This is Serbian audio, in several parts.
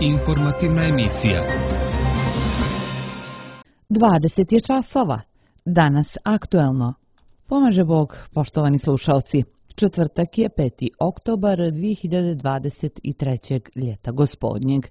Informativna emisija. 20 je časova. Danas aktuelno. Pomaže Bog, poštovani slušalci. Četvrtak je 5. oktobar 2023. ljeta gospodnjeg.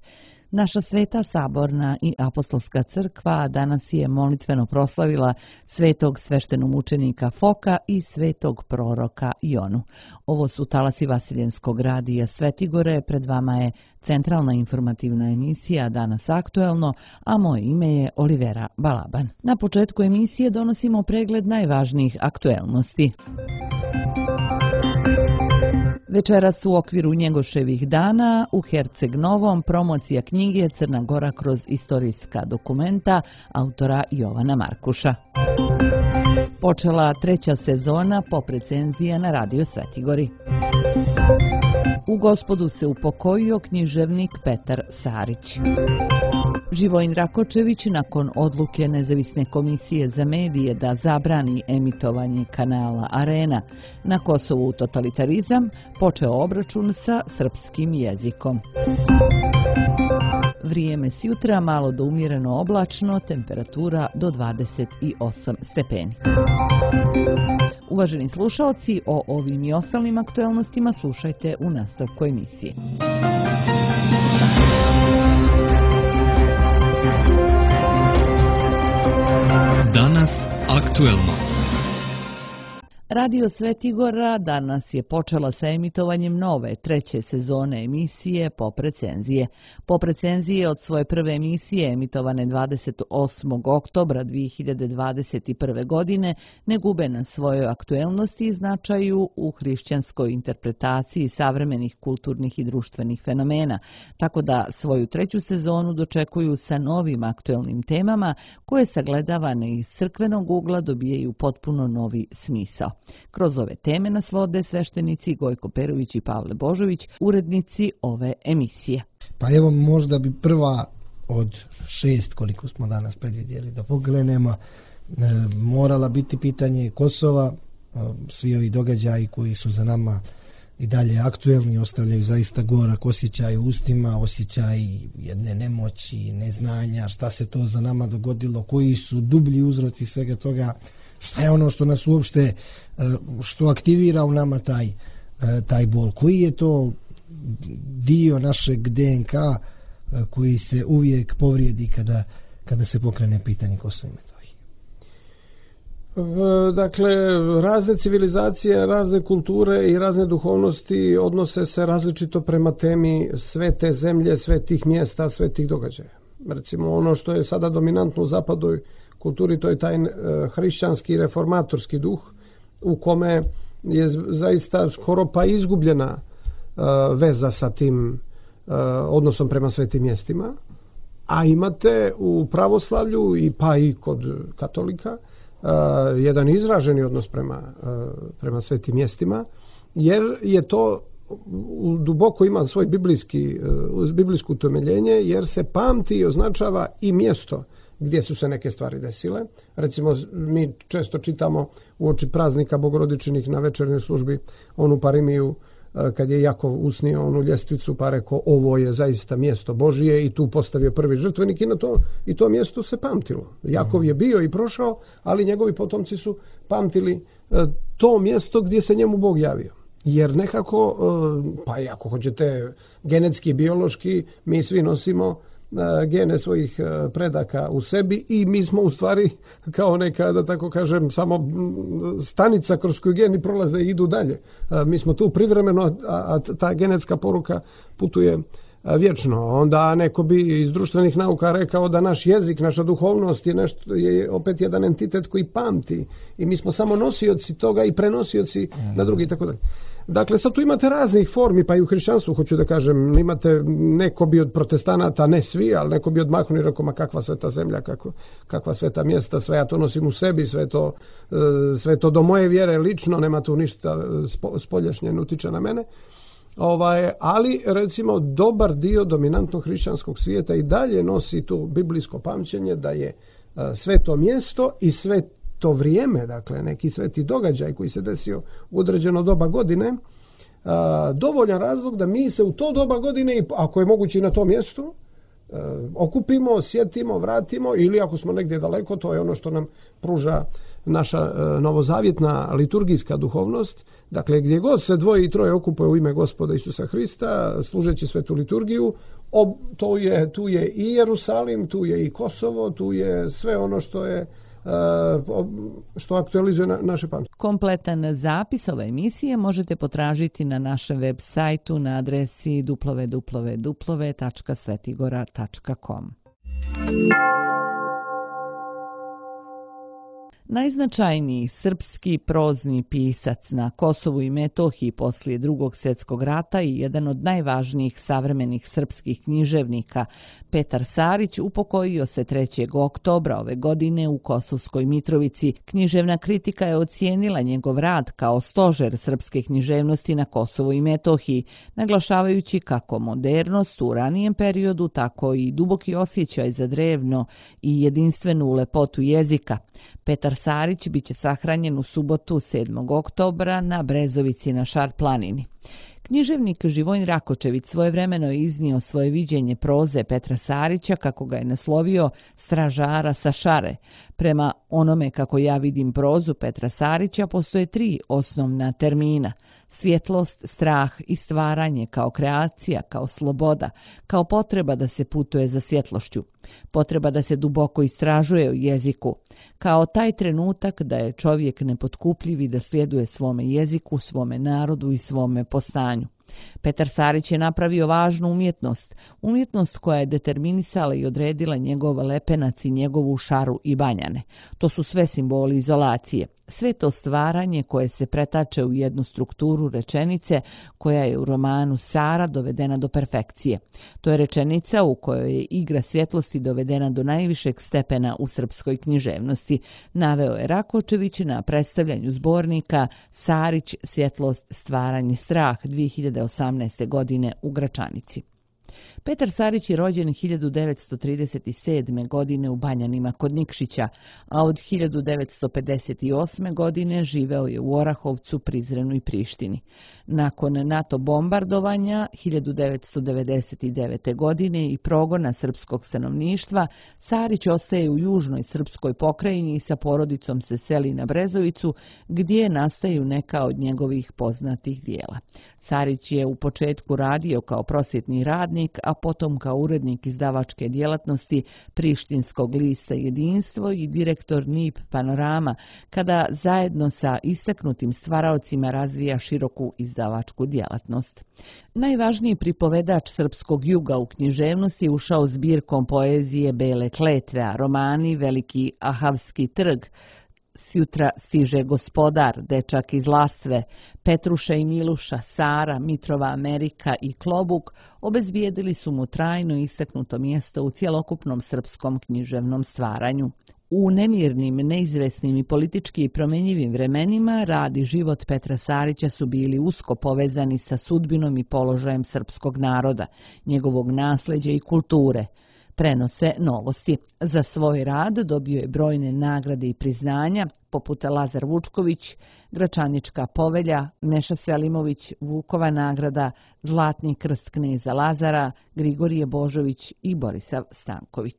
Naša Sveta Saborna i Apostolska crkva danas je molitveno proslavila svetog sveštenomučenika Foka i svetog proroka Jonu. Ovo su talasi Vasiljenskog radija Svetigore, pred vama je centralna informativna emisija Danas aktuelno, a moje ime je Olivera Balaban. Na početku emisije donosimo pregled najvažnijih aktuelnosti. Večeras u okviru Njegoševih dana u Herceg Novom promocija knjige Crna Gora kroz istorijska dokumenta autora Jovana Markuša. Počela 3. sezona poprecenzija na Radio Svetigori. U Gospodu se upokojio književnik Petar Sarić. Živojin Rakočević nakon odluke Nezavisne komisije za medije da zabrani emitovanje kanala Arena na Kosovu totalitarizam, počeo obračun sa srpskim jezikom. Vrijeme s jutra malo do umjereno oblačno, temperatura do 28 stepeni. Uvaženi slušalci, o ovim i ostalim aktuelnostima slušajte u nastavku emisije. Danas aktuelno. Radio Svetigora danas je počela sa emitovanjem nove 3. sezone emisije Poprecenzije. Poprecenzije od svoje prve emisije emitovane 28. oktobra 2021. godine ne gube na svojoj aktuelnosti i značaju u hrišćanskoj interpretaciji savremenih kulturnih i društvenih fenomena, tako da svoju 3. sezonu dočekuju sa novim aktuelnim temama koje sagledavane iz crkvenog ugla dobijaju potpuno novi smisao. Kroz ove teme nas vode sveštenici Gojko Perović i Pavle Božović, urednici ove emisije. Pa evo, možda bi prva od 6, koliko smo danas predvidjeli da pogledamo, morala biti pitanje Kosova. Svi ovi događaji koji su za nama i dalje aktuelni ostavljaju zaista gorak osjećaj u ustima, osjećaj jedne nemoći, neznanja, šta se to za nama dogodilo, koji su dublji uzroci svega toga, šta je ono što nas uopšte što aktivira u nama taj bol, koji je to dio našeg DNK koji se uvijek povrijedi kada se pokrene pitanje Kosova i Metohije. Dakle, razne civilizacije, razne kulture i razne duhovnosti odnose se različito prema temi svete zemlje, svetih mjesta, svetih događaja. Recimo, ono što je sada dominantno u zapadnoj kulturi, to je taj hrišćanski reformatorski duh, u kome je zaista skoro pa izgubljena veza sa tim odnosom prema svetim mjestima, a imate u pravoslavlju pa i kod katolika jedan izraženi odnos prema svetim mjestima, jer je to duboko ima svoj biblijsko utemeljenje, jer se pamti i označava i mjesto gdje su se neke stvari desile. Recimo, mi često čitamo uoči praznika Bogorodičinih na večernjoj službi onu parimiju kad je Jakov usnio onu ljestvicu pa rekao ovo je zaista mjesto Božije i tu postavio prvi žrtvenik i to mjesto se pamtilo. Jakov je bio i prošao, ali njegovi potomci su pamtili to mjesto gdje se njemu Bog javio. Jer nekako, pa i ako hoćete genetski, biološki, mi svi nosimo gene svojih predaka u sebi i mi smo u stvari kao neka, da tako kažem, samo stanica kroz koju geni prolaze i idu dalje. Mi smo tu privremeno, a ta genetska poruka putuje vječno. Onda neko bi iz društvenih nauka rekao da naš jezik, naša duhovnost je opet jedan entitet koji pamti i mi smo samo nosioci toga i prenosioci na drugi i tako dalje. Dakle, sad tu imate raznih formi, pa i u hrišćanstvu, hoću da kažem, imate neko bi od protestanata, ne svi, ali neko bi odmahnuo i rekao, ma kakva sveta zemlja, kakva sveta mjesta, sve ja to nosim u sebi, sve to do moje vjere lično, nema tu ništa spoljašnje, ne utiče na mene. Ali, recimo, dobar dio dominantnog hrišćanskog svijeta i dalje nosi tu biblijsko pamćenje da je sveto mjesto i to vrijeme, dakle neki sveti događaj koji se desio u određeno doba godine, dovoljan razlog da mi se u to doba godine, ako je moguće i na tom mjestu, okupimo, sjetimo, vratimo, ili ako smo negdje daleko, to je ono što nam pruža naša novozavjetna liturgijska duhovnost. Dakle, gdje god se dvoje i troje okupuje u ime Gospoda Isusa Hrista, služeći svetu liturgiju, tu je i Jerusalim, tu je i Kosovo, tu je sve ono što aktualizuje naše pamćenje. Kompletan zapis ove emisije možete potražiti na našem web sajtu na adresi www.svetigora.com. Najznačajniji srpski prozni pisac na Kosovu i Metohiji poslije Drugog svjetskog rata i jedan od najvažnijih savremenih srpskih književnika, Petar Sarić, upokojio se 3. oktobra ove godine u Kosovskoj Mitrovici. Književna kritika je ocijenila njegov rad kao stožer srpske književnosti na Kosovu i Metohiji, naglašavajući kako modernost u ranijem periodu, tako i duboki osjećaj za drevno i jedinstvenu lepotu jezika. Petar Sarić biće sahranjen u subotu 7. oktobra na Brezovici na Šar planini. Književnik Živojin Rakočević svojevremeno je iznio svoje viđenje proze Petra Sarića, kako ga je naslovio Stražara sa Šare. Prema onome kako ja vidim prozu Petra Sarića, postoje 3 osnovna termina: svjetlost, strah i stvaranje kao kreacija, kao sloboda, kao potreba da se putuje za svjetlošću, potreba da se duboko istražuje u jeziku, kao taj trenutak da je čovjek nepotkupljiv i da sljeduje svome jeziku, svome narodu i svome postanju. Petar Sarić je napravio važnu umjetnost koja je determinisala i odredila njegov lepenac i njegovu Šaru i Banjane. To su sve simboli izolacije. Sve to stvaranje koje se pretače u jednu strukturu rečenice koja je u romanu Sara dovedena do perfekcije. To je rečenica u kojoj je igra svjetlosti dovedena do najvišeg stepena u srpskoj književnosti, naveo je Rakočević na predstavljanju zbornika Sarić, svjetlost, stvaranje, strah 2018. godine u Gračanici. Petar Sarić je rođen 1937. godine u Banjanima kod Nikšića, a od 1958. godine živeo je u Orahovcu, Prizrenu i Prištini. Nakon NATO bombardovanja 1999. godine i progona srpskog stanovništva, Sarić ostaje u južnoj srpskoj pokrajini i sa porodicom se seli na Brezovicu, gdje nastaju neka od njegovih poznatih dijela. Sarić je u početku radio kao prosvjetni radnik, a potom kao urednik izdavačke djelatnosti Prištinskog lista Jedinstvo i direktor NIP Panorama, kada zajedno sa istaknutim stvaraocima razvija široku izdavačku djelatnost. Najvažniji pripovedač srpskog juga u književnosti je ušao zbirkom poezije Bele kletve, a romani Veliki Ahavski trg, Sjutra stiže gospodar, Dečak iz Lasve, Petruša i Miluša, Sara, Mitrova Amerika i Klobuk obezbijedili su mu trajno istaknuto mjesto u cjelokupnom srpskom književnom stvaranju. U nemirnim, neizvesnim i politički promenjivim vremenima rad i život Petra Sarića su bili usko povezani sa sudbinom i položajem srpskog naroda, njegovog nasljeđa i kulture. Prenose novosti. Za svoj rad dobio je brojne nagrade i priznanja, poput Lazar Vučković, Gračanička povelja, Neša Selimović, Vukova nagrada, Zlatni krst kneza Lazara, Grigorije Božović i Borisav Stanković.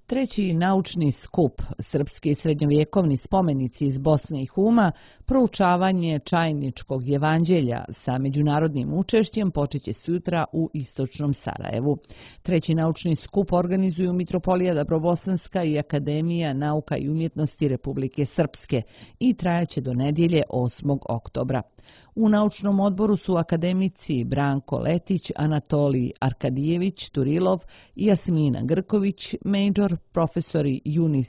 Treći naučni skup Srpski srednjovjekovni spomenici iz Bosne i Huma, proučavanje Čajničkog evanđelja sa međunarodnim učešćem počeće sutra u istočnom Sarajevu. Treći naučni skup organizuju Mitropolija Dabrobosanska i Akademija nauka i umjetnosti Republike Srpske i trajaće do nedjelje 8. oktobra. U naučnom odboru su akademici Branko Letić, Anatolij Arkadijević Turilov i Jasmina Grković, major profesori Junis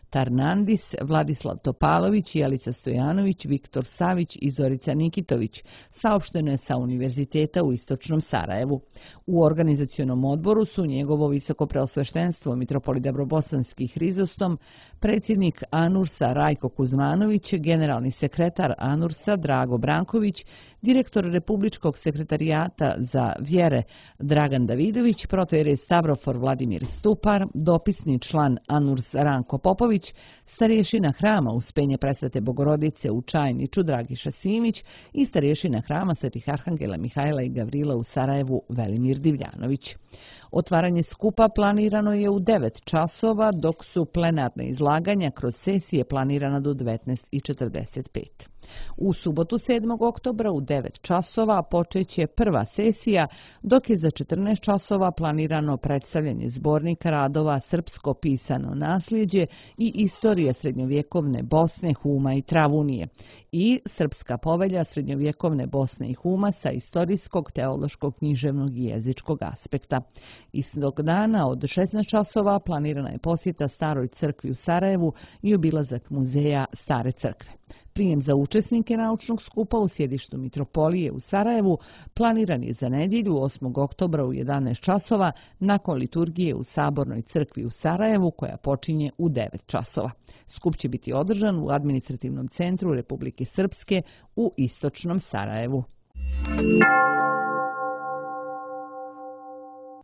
Tarnandis, Vladislav Topalović, Jelica Stojanović, Viktor Savić i Zorica Nikitović, saopšteno je sa Univerziteta u istočnom Sarajevu. U organizacionom odboru su njegovo visoko preosveštenstvo Mitropolit Dabrobosanski Hrizostom, predsjednik Anursa Rajko Kuzmanović, generalni sekretar Anursa Drago Branković, direktor Republičkog sekretarijata za vjere Dragan Davidović, protojerej Stavrofor Vladimir Stupar, dopisni član Anurs Ranko Popović, starješina hrama Uspenje Presvete Bogorodice u Čajniču Dragiša Simić i starješina hrama Svetih Arhangela Mihajla i Gavrila u Sarajevu Velimir Divljanović. Otvaranje skupa planirano je u 9 časova, dok su plenarne izlaganja kroz sesije planirana do 19:45. U subotu 7. oktobra u 9 časova počeće prva sesija, dok je za 14 časova planirano predstavljanje zbornika radova Srpsko pisano nasljeđe i istorija srednjovjekovne Bosne, Huma i Travunije i Srpska povelja srednjovjekovne Bosne i Huma sa istorijskog, teološkog, književnog i jezičkog aspekta. Istog dana od 16 časova planirana je posjeta Staroj crkvi u Sarajevu i obilazak muzeja Stare crkve. Prijem za učesnike naučnog skupa u sjedištu Mitropolije u Sarajevu planiran je za nedjelju 8. oktobra u 11 časova nakon liturgije u Sabornoj crkvi u Sarajevu koja počinje u 9 časova. Skup će biti održan u administrativnom centru Republike Srpske u istočnom Sarajevu.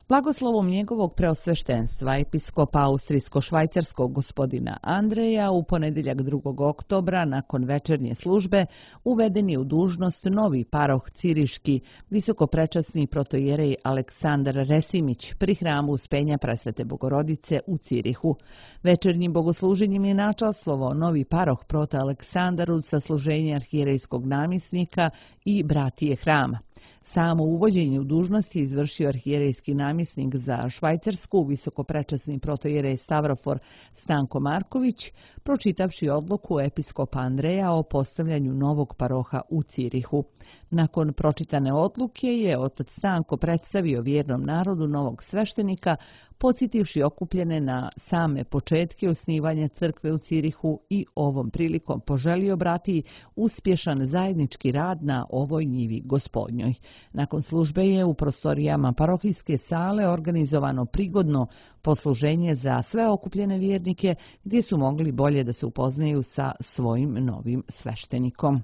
Blagoslovom njegovog preosveštenstva episkopa austrijsko-švajcarskog gospodina Andreja u ponedjeljak 2. oktobra nakon večernje službe uveden je u dužnost novi paroh ciriški visokoprečasni protojerej Aleksandar Resimić pri hramu Uspenja Presvete Bogorodice u Cirihu. Večernjim bogosluženjem je načastvovao novi paroh prota Aleksandar sa služenje arhijerejskog namjesnika i bratije hrama. Samo uvođenje u dužnost je izvršio arhijerejski namjesnik za Švajcarsku, visokoprečasni protojerej Stavrofor Stanko Marković, pročitavši odluku episkopa Andreja o postavljanju novog paroha u Cirihu. Nakon pročitane odluke je otac Stanko predstavio vjernom narodu novog sveštenika, podsjetivši okupljene na same početke osnivanja crkve u Cirihu i ovom prilikom poželio brati uspješan zajednički rad na ovoj njivi gospodnjoj. Nakon službe je u prostorijama parohijske sale organizovano prigodno posluženje za sve okupljene vjernike gdje su mogli bolje da se upoznaju sa svojim novim sveštenikom.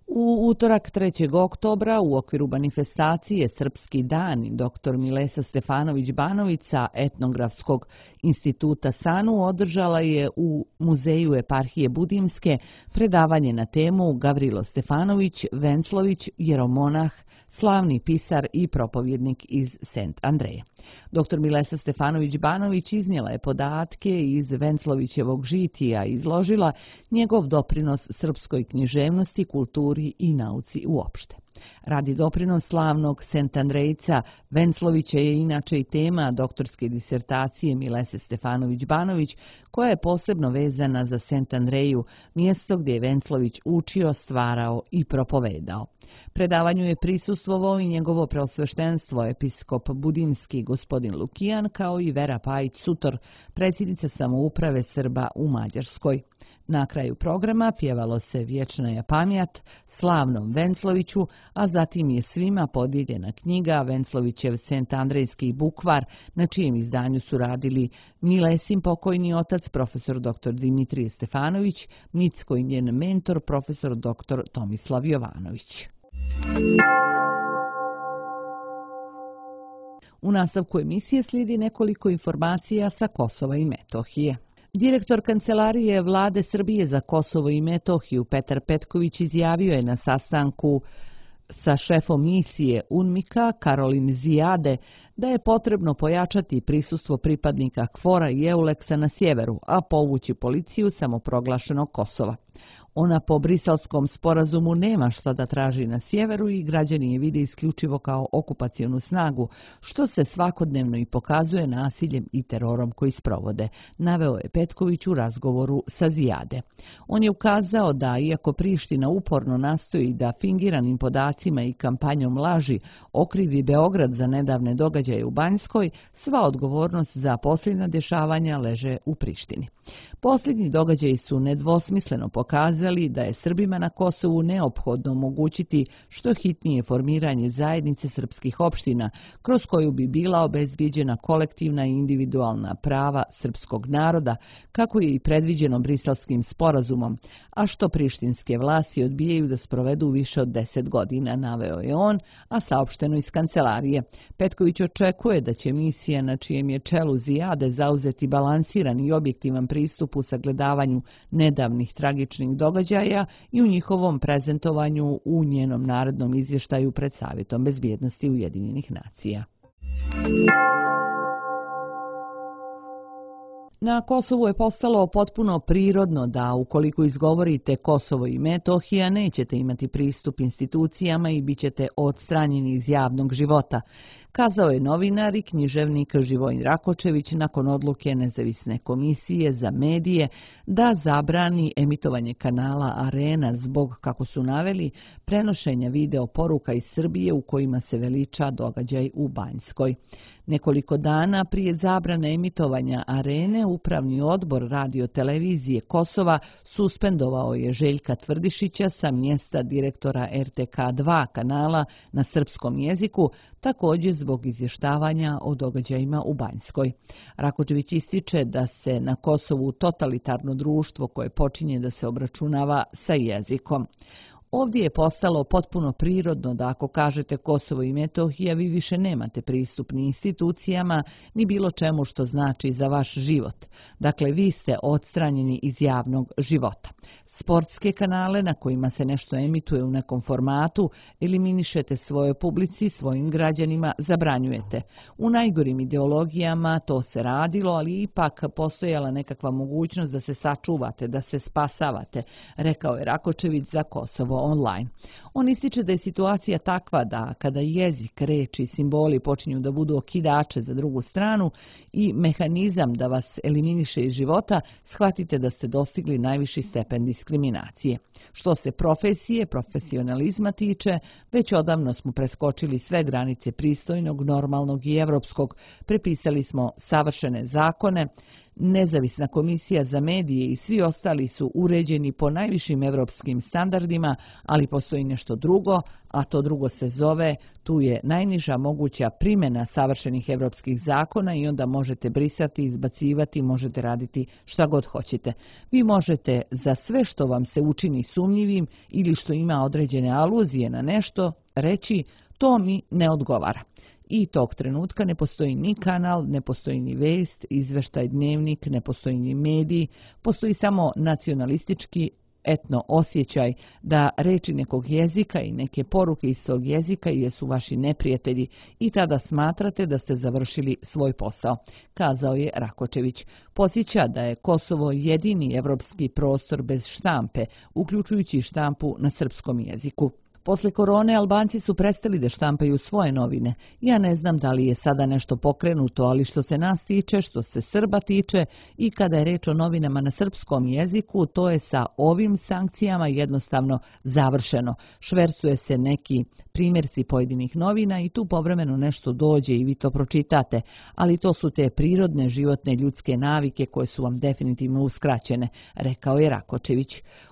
U utorak 3. oktobra u okviru manifestacije Srpski dan dr. Milesa Stefanović-Banović sa Etnografskog instituta SANU održala je u Muzeju eparhije Budimske predavanje na temu Gavrilo Stefanović, Venclović, jeromonah, slavni pisar i propovjednik iz Sent Andreja. Dr. Milesa Stefanović-Banović iznijela je podatke iz Venclovićevog žitija i izložila njegov doprinos srpskoj književnosti, kulturi i nauci uopšte. Radi doprinos slavnog Sent Andrejca, Venclovića je inače i tema doktorske disertacije Milese Stefanović-Banović, koja je posebno vezana za Sent Andreju, mjesto gdje je Venclović učio, stvarao i propovedao. Predavanju je prisustvovao i njegovo preosveštenstvo episkop Budimski gospodin Lukijan, kao i Vera Pajić-Sutor, predsjednica samouprave Srba u Mađarskoj. Na kraju programa pjevalo se Vječna je pamjat slavnom Vencloviću, a zatim je svima podijeljena knjiga Venclovićev Sent Andrejski bukvar, na čijem izdanju su radili Milesin pokojni otac profesor dr. Dimitrije Stefanović, Micko i njen mentor profesor dr. Tomislav Jovanović. U nastavku emisije slijedi nekoliko informacija sa Kosova i Metohije. Direktor Kancelarije Vlade Srbije za Kosovo i Metohiju Petar Petković izjavio je na sastanku sa šefom misije UNMIK-a Karolin Zijade da je potrebno pojačati prisustvo pripadnika KFOR-a i EULEX-a na sjeveru, a povući policiju samoproglašenog Kosova. Ona po Brisalskom sporazumu nema šta da traži na sjeveru i građani je vide isključivo kao okupacionu snagu, što se svakodnevno i pokazuje nasiljem i terorom koji sprovode, naveo je Petković u razgovoru sa Zijade. On je ukazao da, iako Priština uporno nastoji da fingiranim podacima i kampanjom laži okrivi Beograd za nedavne događaje u Banjskoj, sva odgovornost za posljednja dešavanja leže u Prištini. Posljednji događaji su nedvosmisleno pokazali da je Srbima na Kosovu neophodno omogućiti što hitnije formiranje zajednice srpskih opština, kroz koju bi bila obezbijeđena kolektivna i individualna prava srpskog naroda, kako je i predviđeno Briselskim sporazumom, a što prištinske vlasti odbijaju da sprovedu više od 10 godina, naveo je on, a saopšteno iz kancelarije. Petković očekuje da će misija komisija na čijem je čelu Zijade zauzeti balansiran i objektivan pristup u sagledavanju nedavnih tragičnih događaja i u njihovom prezentovanju u njenom narednom izvještaju pred Savjetom bezbjednosti Ujedinjenih nacija. Na Kosovu je postalo potpuno prirodno da ukoliko izgovorite Kosovo i Metohija nećete imati pristup institucijama i bit ćete odstranjeni iz javnog života, kazao je novinar i književnik Živojin Rakočević nakon odluke Nezavisne komisije za medije da zabrani emitovanje kanala Arena zbog, kako su naveli, prenošenja video poruka iz Srbije u kojima se veliča događaj u Banjskoj. Nekoliko dana prije zabrane emitovanja Arene, Upravni odbor radiotelevizije Kosova suspendovao je Željka Tvrdišića sa mjesta direktora RTK2 kanala na srpskom jeziku, također zbog izvještavanja o događajima u Banjskoj. Rakočević ističe da se na Kosovu totalitarno društvo koje počinje da se obračunava sa jezikom. Ovdje je postalo potpuno prirodno da ako kažete Kosovo i Metohija vi više nemate pristup ni institucijama ni bilo čemu što znači za vaš život. Dakle, vi ste odstranjeni iz javnog života. Sportske kanale na kojima se nešto emituje u nekom formatu eliminišete svojoj publici, svojim građanima, zabranjujete. U najgorim ideologijama to se radilo, ali ipak postojala nekakva mogućnost da se sačuvate, da se spasavate, rekao je Rakočević za Kosovo online. On ističe da je situacija takva da kada jezik, reči i simboli počinju da budu okidače za drugu stranu i mehanizam da vas eliminiše iz života, shvatite da ste dostigli najviši stepen diskriminacije. Što se profesije, profesionalizma tiče, već odavno smo preskočili sve granice pristojnog, normalnog i evropskog. Prepisali smo savršene zakone, Nezavisna komisija za medije i svi ostali su uređeni po najvišim evropskim standardima, ali postoji nešto drugo, a to drugo se zove, tu je najniža moguća primjena savršenih evropskih zakona i onda možete brisati, izbacivati, možete raditi šta god hoćete. Vi možete za sve što vam se učini sumnjivim ili što ima određene aluzije na nešto reći to mi ne odgovara. I tog trenutka ne postoji ni kanal, ne postoji ni vest, izveštaj, dnevnik, ne postoji ni mediji, postoji samo nacionalistički etno osjećaj da reči nekog jezika i neke poruke iz tog jezika jesu vaši neprijatelji i tada smatrate da ste završili svoj posao, kazao je Rakočević. Podsjeća da je Kosovo jedini evropski prostor bez štampe, uključujući štampu na srpskom jeziku. Posle korone Albanci su prestali da štampaju svoje novine. Ja ne znam da li je sada nešto pokrenuto, ali što se nas tiče, što se Srba tiče i kada je reč o novinama na srpskom jeziku, to je sa ovim sankcijama jednostavno završeno. Švercuje se neki primjerci pojedinih novina i tu povremeno nešto dođe i vi to pročitate, ali to su te prirodne životne ljudske navike koje su vam definitivno uskraćene, rekao je Rakočević.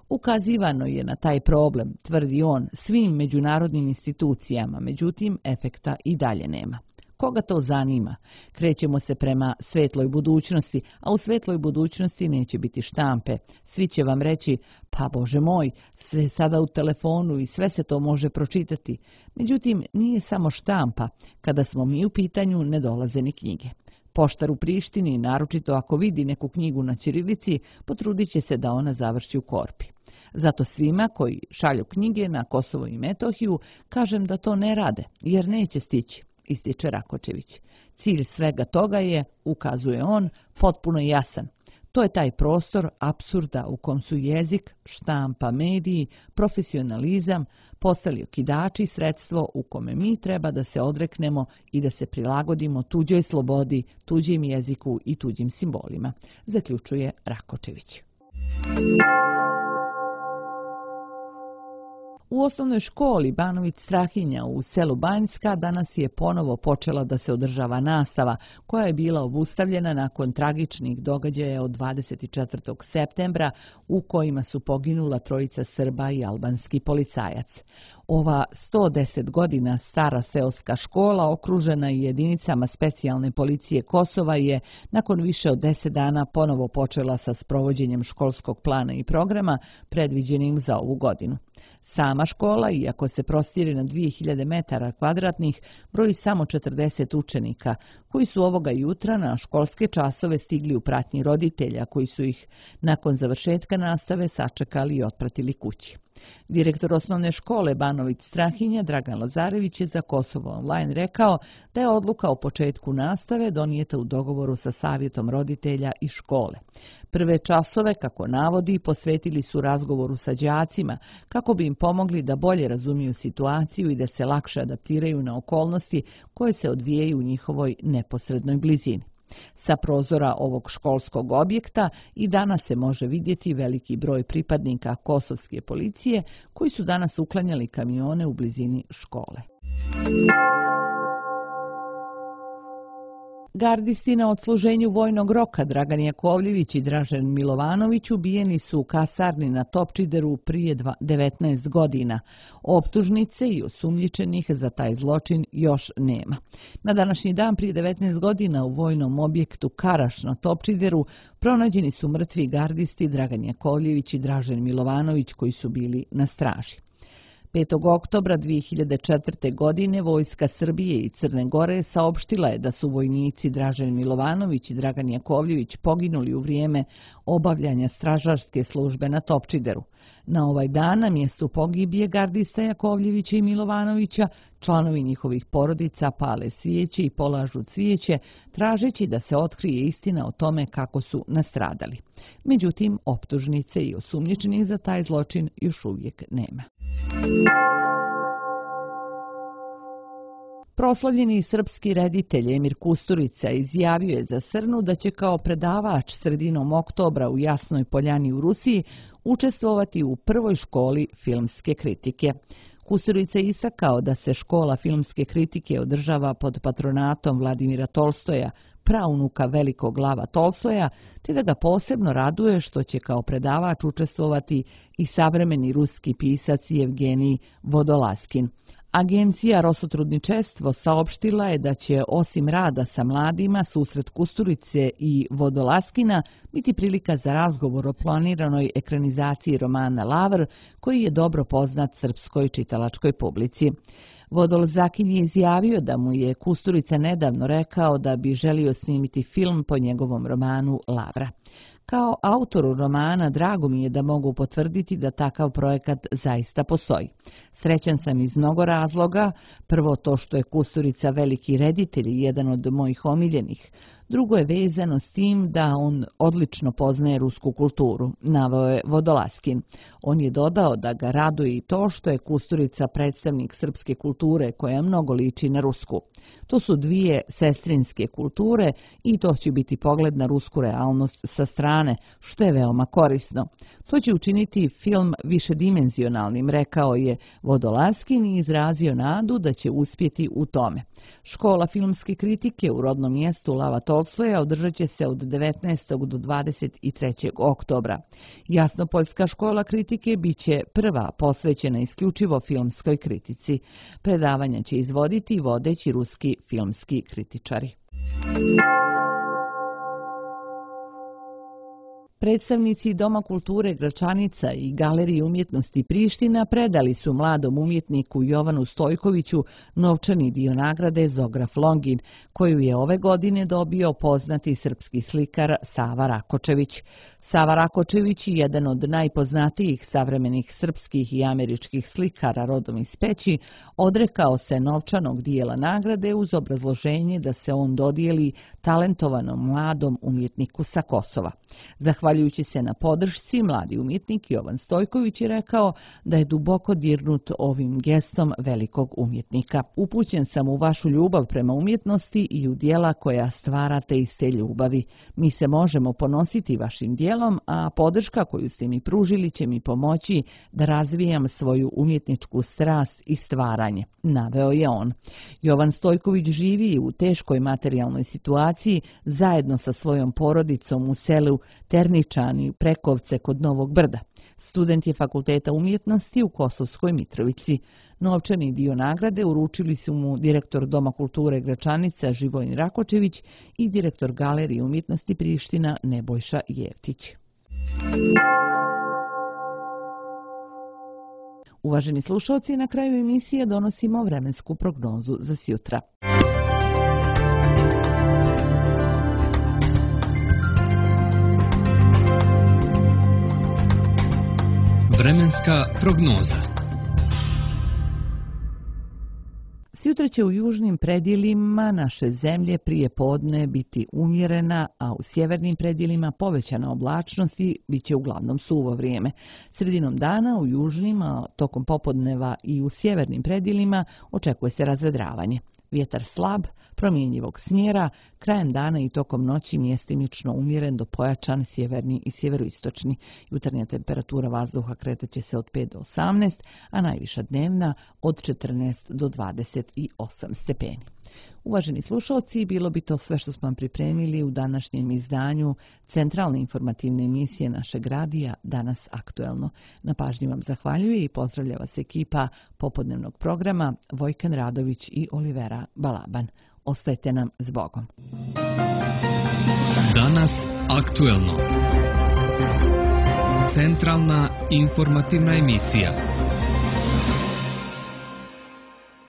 Ukazivano je na taj problem, tvrdi on, svim međunarodnim institucijama, međutim efekta i dalje nema. Koga to zanima? Krećemo se prema svetloj budućnosti, a u svetloj budućnosti neće biti štampe. Svi će vam reći, pa Bože moj, sve sada u telefonu i sve se to može pročitati. Međutim, nije samo štampa. Kada smo mi u pitanju, ne dolaze ni knjige. Poštar u Prištini, naročito ako vidi neku knjigu na ćirilici, potrudit će se da ona završi u korpi. Zato svima koji šalju knjige na Kosovo i Metohiju kažem da to ne rade, jer neće stići, ističe Rakočević. Cilj svega toga je, ukazuje on, potpuno jasan. To je taj prostor apsurda u kom su jezik, štampa, mediji, profesionalizam postali okidači, sredstvo u kome mi treba da se odreknemo i da se prilagodimo tuđoj slobodi, tuđim jeziku i tuđim simbolima, zaključuje Rakočević. U osnovnoj školi Banović Strahinja u selu Banjska danas je ponovo počela da se održava nastava koja je bila obustavljena nakon tragičnih događaja od 24. septembra u kojima su poginula trojica Srba i albanski policajac. Ova 110 godina stara seoska škola, okružena i jedinicama specijalne policije Kosova, je nakon više od 10 dana ponovo počela sa sprovođenjem školskog plana i programa predviđenim za ovu godinu. Sama škola, iako se prostire na 2000 metara kvadratnih, broji samo 40 učenika, koji su ovoga jutra na školske časove stigli u pratnji roditelja, koji su ih nakon završetka nastave sačekali i otpratili kući. Direktor osnovne škole Banović Strahinja Dragan Lazarević je za Kosovo Online rekao da je odluka o početku nastave donijeta u dogovoru sa savjetom roditelja i škole. Prve časove, kako navodi, posvetili su razgovoru sa đacima kako bi im pomogli da bolje razumiju situaciju i da se lakše adaptiraju na okolnosti koje se odvijaju u njihovoj neposrednoj blizini. Sa prozora ovog školskog objekta i danas se može vidjeti veliki broj pripadnika kosovske policije koji su danas uklanjali kamione u blizini škole. Gardisti na odsluženju vojnog roka Dragan Jakovljević i Dražen Milovanović ubijeni su u kasarni na Topčideru prije 19 godina. Optužnice i osumnjičenih za taj zločin još nema. Na današnji dan prije 19 godina u vojnom objektu Karaš na Topčideru pronađeni su mrtvi gardisti Dragan Jakovljević i Dražen Milovanović koji su bili na straži. 5. oktobra 2004. godine Vojska Srbije i Crne Gore saopštila je da su vojnici Dražen Milovanović i Dragan Jakovljević poginuli u vrijeme obavljanja stražarske službe na Topčideru. Na ovaj dan na mjestu pogibije gardista Jakovljevića i Milovanovića članovi njihovih porodica pale svijeće i polažu cvijeće, tražeći da se otkrije istina o tome kako su nastradali. Međutim, optužnice i osumnjičenih za taj zločin još uvijek nema. Proslavljeni srpski reditelj Emir Kusturica izjavio je za Srnu da će kao predavač sredinom oktobra u Jasnoj Poljani u Rusiji učestvovati u prvoj školi filmske kritike. Kusturica je istakao da se škola filmske kritike održava pod patronatom Vladimira Tolstoja, praunuka velikog Lava Tolstoja, te da ga posebno raduje što će kao predavač učestvovati i savremeni ruski pisac Evgenij Vodolaskin. Agencija Rosotrudničestvo saopštila je da će osim rada sa mladima, susret Kusturice i Vodolaskina biti prilika za razgovor o planiranoj ekranizaciji romana Lavr, koji je dobro poznat srpskoj čitalačkoj publici. Vodolzakin je izjavio da mu je Kusturica nedavno rekao da bi želio snimiti film po njegovom romanu Lavra. Kao autoru romana drago mi je da mogu potvrditi da takav projekat zaista postoji. Srećan sam iz mnogo razloga, prvo to što je Kusturica veliki reditelj i jedan od mojih omiljenih. Drugo je vezano s tim da on odlično poznaje rusku kulturu, naveo je Vodolaskin. On je dodao da ga raduje i to što je Kusturica predstavnik srpske kulture koja mnogo liči na rusku. To su dvije sestrinske kulture i to će biti pogled na rusku realnost sa strane, što je veoma korisno. To će učiniti film višedimenzionalnim, rekao je Vodolaskin i izrazio nadu da će uspjeti u tome. Škola filmske kritike u rodnom mjestu Lava Tolstoja održat će se od 19. do 23. oktobra. Jasnopoljska škola kritike bit će prva posvećena isključivo filmskoj kritici. Predavanja će izvoditi vodeći ruski filmski kritičari. Predstavnici Doma kulture Gračanica i Galerije umjetnosti Priština predali su mladom umjetniku Jovanu Stojkoviću novčani dio nagrade Zograf Longin, koju je ove godine dobio poznati srpski slikar Sava Rakočević. Sava Rakočević je jedan od najpoznatijih savremenih srpskih i američkih slikara rodom iz Peći, odrekao se novčanog dijela nagrade uz obrazloženje da se on dodijeli talentovanom mladom umjetniku sa Kosova. Zahvaljujući se na podršci, mladi umjetnik Jovan Stojković je rekao da je duboko dirnut ovim gestom velikog umjetnika. Upućen sam u vašu ljubav prema umjetnosti i u dijela koja stvarate iz te ljubavi. Mi se možemo ponositi vašim dijelom, a podrška koju ste mi pružili će mi pomoći da razvijam svoju umjetničku strast i stvaranje, naveo je on. Jovan Stojković živi u teškoj materijalnoj situaciji zajedno sa svojom porodicom u selu Terničani, Prekovce kod Novog Brda. Student je Fakulteta umjetnosti u Kosovskoj Mitrovici. Novčani dio nagrade uručili su mu direktor Doma kulture Gračanica Živojin Rakočević i direktor Galerije umjetnosti Priština Nebojša Jevtić. Uvaženi slušalci, na kraju emisije donosimo vremensku prognozu za sjutra. Vremenska prognoza. Sutra će u južnim predjelima naše zemlje prije podne biti umjerena, a u sjevernim predjelima povećana oblačnost i bit će uglavnom suvo vrijeme. Sredinom dana u južnim, a tokom popodneva i u sjevernim predjelima očekuje se razvedravanje. Vjetar slab, promjenjivog smjera, krajem dana i tokom noći mjestimično umjeren do pojačan sjeverni i sjeveroistočni. Jutarnja temperatura vazduha kretat će se od 5 do 18, a najviša dnevna od 14 do 28 stepeni. Uvaženi slušalci, bilo bi to sve što smo vam pripremili u današnjem izdanju centralne informativne emisije našeg radija Danas aktuelno. Na pažnji vam zahvaljuje i pozdravlja vas ekipa popodnevnog programa Vojkan Radović i Olivera Balaban. Ostajte nam s Bogom. Danas aktuelno. Centralna informativna emisija.